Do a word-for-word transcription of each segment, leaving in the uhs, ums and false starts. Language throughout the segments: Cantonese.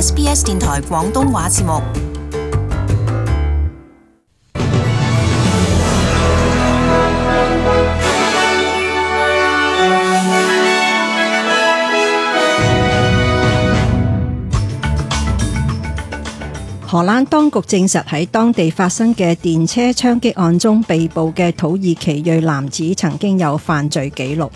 S B S 電台廣東話節目。荷蘭當局證實喺當地發生嘅電車槍擊案中被捕嘅土耳其裔男子曾經有犯罪記錄。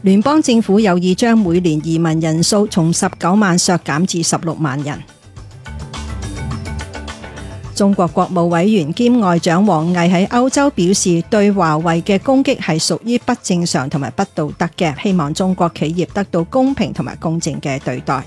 聯邦政府有意將每年移民人數從十九萬削減至十六萬人。中國國務委員兼外長王毅喺歐洲表示，對華為嘅攻擊係屬於不正常同埋不道德嘅，希望中國企業得到公平同埋公正嘅對待。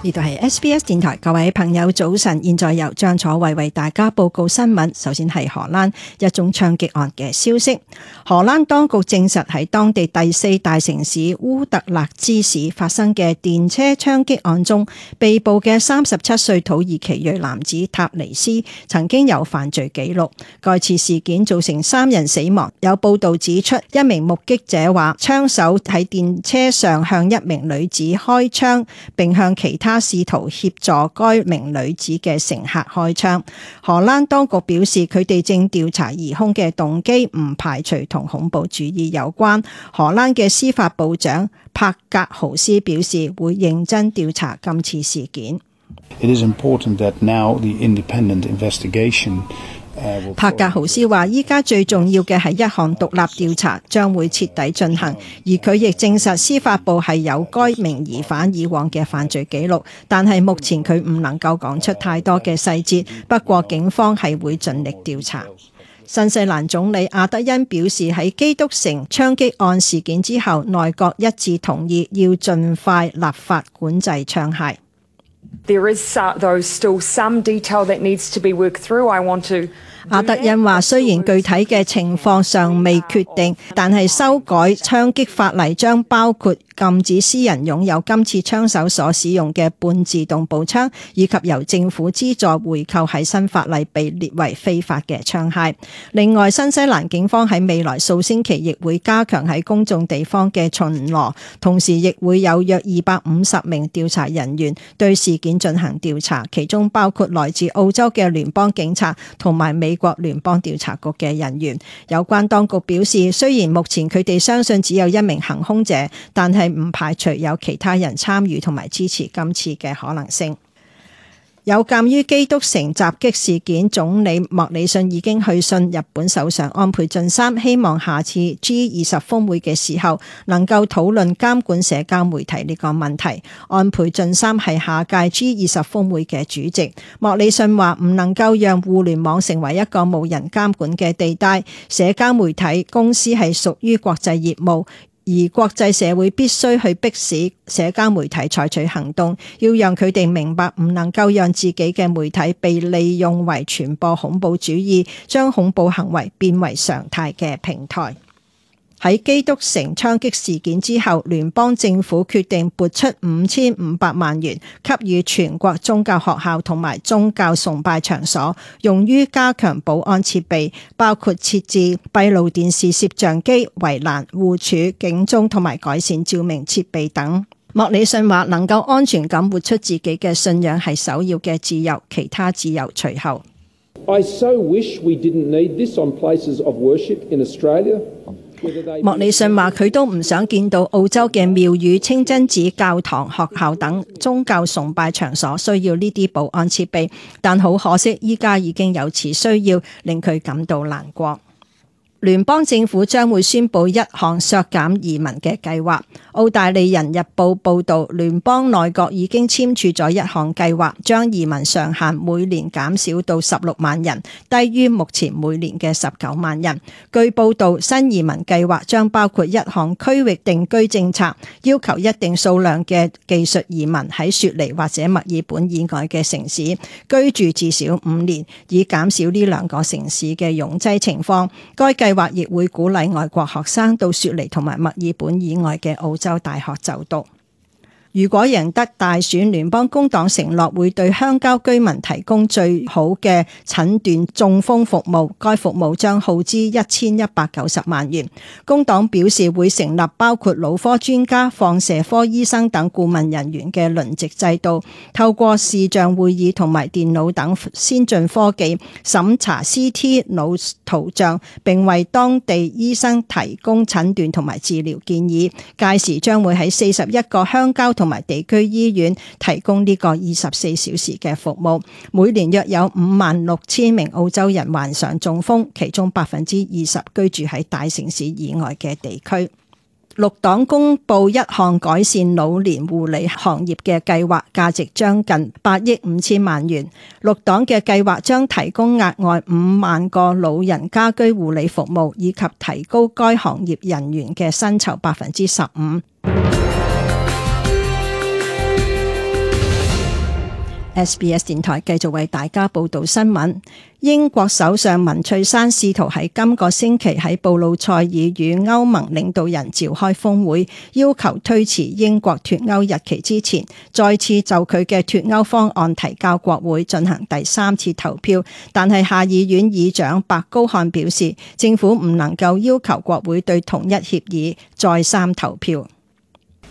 呢度係 S B S 電台，各位朋友早晨，現在由張楚慧為大家報告新聞。首先係荷蘭一宗槍擊案嘅消息。荷蘭當局證實喺當地第四大城市烏特勒支市發生嘅電車槍擊案中，被捕嘅三十七歲土耳其裔男子塔尼斯曾經有犯罪記錄。該次事件造成三人死亡。有報道指出，一名目擊者話，槍手喺電車上向一名女子開槍，並向其他試圖協助該名女子嘅乘客開槍。荷蘭當局表示，佢哋正調查疑兇嘅動機，唔排除同恐怖主義有關。荷蘭嘅司法部長柏格豪斯表示，會認真調查今次事件。It is important that now the independent investigation柏格豪斯話，依家最重要嘅係一項獨立調查，將會徹底進行。而佢亦證實司法部係有該名疑犯以往嘅犯罪記錄，但係目前佢唔能夠講出太多嘅細節。不過警方係會盡力調查。新西蘭總理阿德恩表示，喺基督城槍擊案事件之後，內閣一致同意要盡快立法管制槍械。There is though still some detail that needs to be worked through. I want to 阿德恩話，雖然具體嘅情況尚未決定，但係修改槍擊法例將包括禁止私人擁有今次槍手所使用嘅半自動步槍，以及由政府資助回購喺新法例被列為非法嘅槍械。另外，新西蘭警方喺未來數星期亦會加強喺公眾地方嘅巡邏，同時亦會有約二百五十名調查人員對事件進行調查，其中包括來自澳洲嘅聯邦警察同埋美國聯邦調查局嘅人員。有關當局表示，雖然目前佢哋相信只有一名行兇者，但係唔排除有其他人參與同埋支持今次嘅可能性。有鑑於基督城襲擊事件，總理莫里遜已經去信日本首相安倍晉三，希望下次 G 二十峰會嘅時候能夠討論監管社交媒體呢個問題。安倍晉三係下屆 G 二十峰會嘅主席。莫里遜話唔能夠讓互聯網成為一個無人監管嘅地帶，社交媒體公司係屬於國際業務。而國際社會必須去迫使社交媒體採取行動，要讓佢哋明白唔能夠讓自己嘅媒體被利用為傳播恐怖主義、將恐怖行為變為常態嘅平台。喺基督城槍擊事件之後，聯邦政府決定撥出五千五百萬元，給予全國宗教學校同埋宗教崇拜場所，用於加強保安設備，包括設置閉路電視攝像機、圍欄、戶柱、警鐘同埋改善照明設備等。莫里遜話，能夠安全咁活出自己嘅信仰係首要嘅自由，其他自由隨後。I so wish we didn't need this on places of worship in Australia.莫里遜話，佢都唔想見到澳洲嘅廟宇、清真寺、教堂、學校等宗教崇拜場所需要呢啲保安設備，但好可惜依家已經有此需要，令佢感到難過。聯邦政府將會宣布一項削減移民嘅計劃。澳大利人日報報導，聯邦內閣已經簽署咗一項計劃，將移民上限每年減少到十六萬人，低於目前每年嘅十九萬人。據報導，新移民計劃將包括一項區域定居政策，要求一定數量嘅技術移民喺雪梨或者墨爾本以外嘅城市居住至少五年，以減少呢兩個城市嘅擁擠情況。該計計劃亦會鼓勵外國學生到雪梨同埋墨爾本以外嘅澳洲大學就讀。如果贏得大選，聯邦工黨承諾會對鄉郊居民提供最好嘅診斷中風服務，該服務將耗資一千一百九十萬元。工黨表示會成立包括腦科專家、放射科醫生等顧問人員嘅輪值制度，透過視像會議同埋電腦等先進科技審查 C T 腦圖像，並為當地醫生提供診斷同埋治療建議。屆時將會喺四十一個鄉郊同埋地區醫院提供呢個二十四小時嘅服務。每年約有五萬六千名澳洲人患上中風，其中百分之二十居住喺大城市以外嘅地區。綠黨公布一項改善老年護理行業嘅計劃，價值將近八億五千萬元。綠黨嘅計劃將提供額外五萬個老人家居護理服務，以及提高該行業人員嘅薪酬百分之十五。S B S 電台繼續為大家報道新聞。英國首相文翠珊試圖喺今個星期喺布魯塞爾與歐盟領導人召開峰會，要求推遲英國脫歐日期之前，再次就佢嘅脫歐方案提交國會進行第三次投票。但係下議院議長白高漢表示，政府唔能夠要求國會對同一協議再三投票。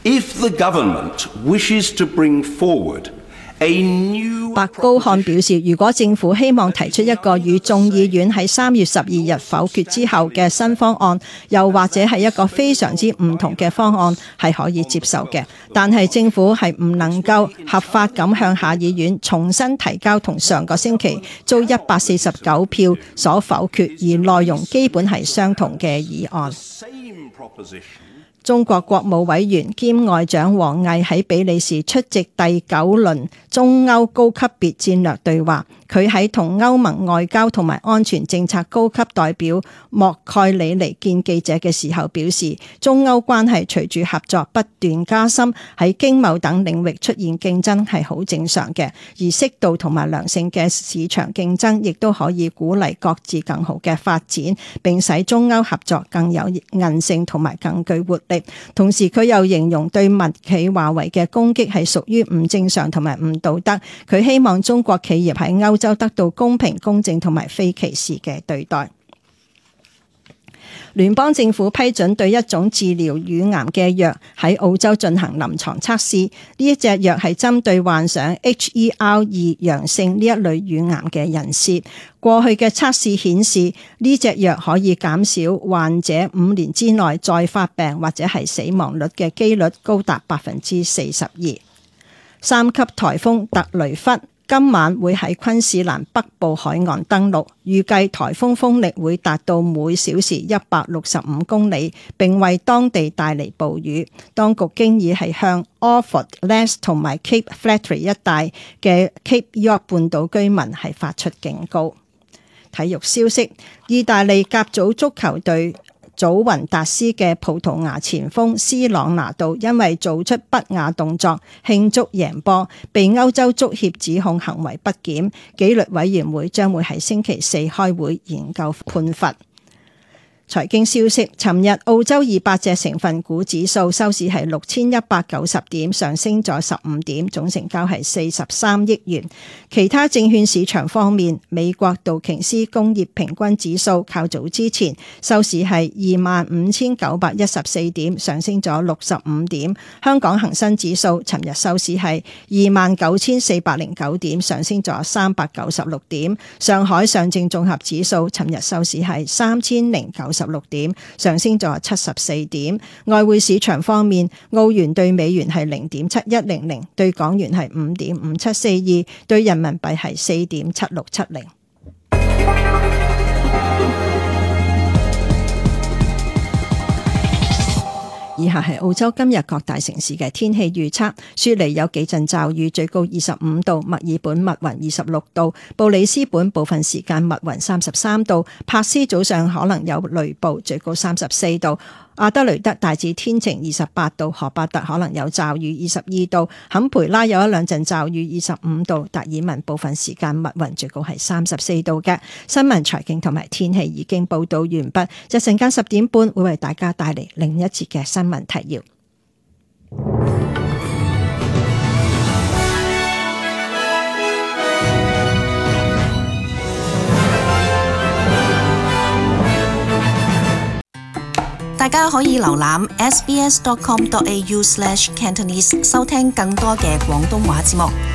If the government wishes to bring forward白高漢表示，如果政府希望提出一個與眾議院喺三月十二日否決之後嘅新方案，又或者係一個非常之唔同嘅方案，係可以接受嘅。但係政府係唔能夠合法咁向下議院重新提交同上個星期遭一百四十九票所否決而內容基本係相同嘅議案。中國國務委員兼外長王毅喺比利時出席第九輪中歐高級別戰略對話。佢喺同歐盟外交同埋安全政策高級代表莫蓋里尼見記者嘅時候表示，中歐關係隨住合作不斷加深，喺經貿等領域出現競爭係好正常嘅，而適度同埋良性嘅市場競爭亦都可以鼓勵各自更好嘅發展，並使中歐合作更有韌性同埋更具活力。同時佢又形容對民企華為嘅攻擊係屬於唔正常同埋唔道德。佢希望中國企業喺歐就得到公平、公正同埋非歧視嘅對待。聯邦政府批准對一種治療乳癌嘅藥喺澳洲進行臨床測試。呢一隻藥係針對患上 H E R 二 陽性呢一類乳癌嘅人士。過去嘅測試顯示，呢隻藥可以減少患者五年之內再發病或者係死亡率嘅機率高達百分之四十二。三級颱風特雷弗今晚會喺昆士蘭北部海岸登陸，預計颱風風力會達到每小時一百六十五公里，並為當地帶嚟暴雨。當局經已係向 Orford、Les 同埋 Cape Flattery 一帶嘅 Cape York 半島居民係發出警告。體育消息：意大利甲組足球隊祖雲達斯嘅葡萄牙前鋒斯朗拿度因為做出不雅動作慶祝贏波，被歐洲足協指控行為不檢，紀律委員會將會喺星期四開會研究判罰。財經消息：尋日澳洲二百隻成分股指數收市係六千一百九十點，上升咗十五點，總成交係四十三億元。其他證券市場方面，美國道瓊斯工業平均指數較早之前收市係二萬五千九百一十四點，上升咗六十五點。香港恒生指數尋日收市係二萬九千四百零九點，上升咗三百九十六點。上海上證綜合指數尋日收市係三千零九十六點，上升咗七十四點。外匯市場方面，澳元對美元係零點七一零零，對港元係五點五七四二，對人民幣係四點七六七零。以下係澳洲今日各大城市嘅天氣預測：雪梨有幾陣驟雨，最高二十五度；墨爾本密雲二十六度；布里斯本部分時間密雲三十三度；柏斯早上可能有雷暴，最高三十四度；阿德雷德大致天晴二十八度；荷伯特可能有驟雨二十二度；坎培拉有一兩陣驟雨二十五度；達爾文部分時間密雲，最高係三十四度嘅。新聞、財經同埋天氣已經報道完畢，一陣間十點半會為大家帶嚟另一節嘅新聞提要。大家可以瀏覽 s b s dot com dot a u slash cantonese 收聽更多嘅廣東話節目。